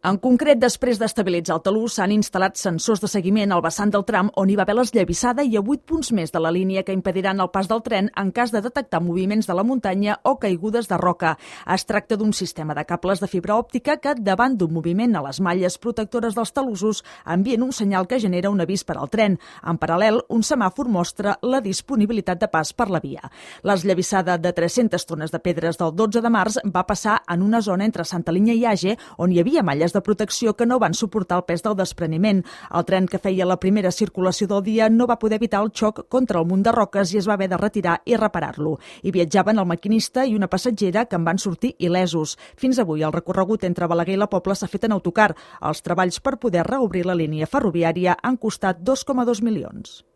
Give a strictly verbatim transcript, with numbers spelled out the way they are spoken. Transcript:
En concret, després d'estabilitzar el talús, s'han instal·lat sensors de seguiment al vessant del tram on hi va haver l'esllavissada i a vuit punts més de la línia que impediran el pas del tren en cas de detectar moviments de la muntanya o caigudes de roca. Es tracta d'un sistema de cables de fibra òptica que, davant d'un moviment a les malles protectores dels talussos, envien un senyal que genera un avís per al tren. En paral·lel, un semàfor mostra la disponibilitat de pas per la via. L'esllavissada de tres-centes tones de pedres del dotze de març va passar en una zona entre Santa Linya i Age on hi havia malles de protecció que no van suportar el pes del despreniment. El tren que feia la primera circulació del dia no va poder evitar el xoc contra el munt de roques i es va haver de retirar i reparar-lo. Hi viatjaven el maquinista i una passatgera que en van sortir il·lesos. Fins avui el recorregut entre Balaguer i la Pobla s'ha fet en autocar. Els treballs per poder reobrir la línia ferroviària han costat dos coma dos milions.